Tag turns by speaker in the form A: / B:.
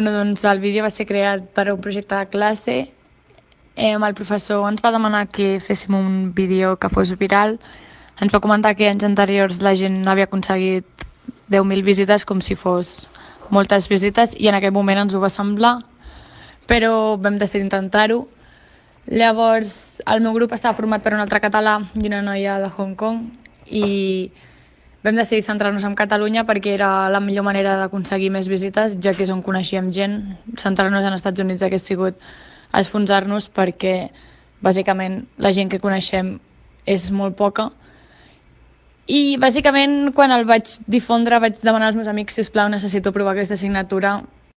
A: Doncs el vídeo va ser creat per a un projecte de classe. El professor ens va demanar que féssim un vídeo que fos viral. Ens va comentar que anys anteriors la gent havia aconseguit 10.000 visites, com si fos moltes visites, i en aquell moment ens ho va semblar, però vam decidir intentar-ho. Llavors, el meu grup estava format per un altre català i una noia de Hong Kong, i vam decidir centrar-nos en Catalunya perquè era la millor manera d'aconseguir més visites, ja que és on coneixíem gent. Centrar-nos en Estats Units hagués sigut esfonsar-nos, perquè bàsicament la gent que coneixem és molt poca. I bàsicament quan el vaig difondre vaig demanar als meus amics: sisplau, necessito provar aquesta assignatura,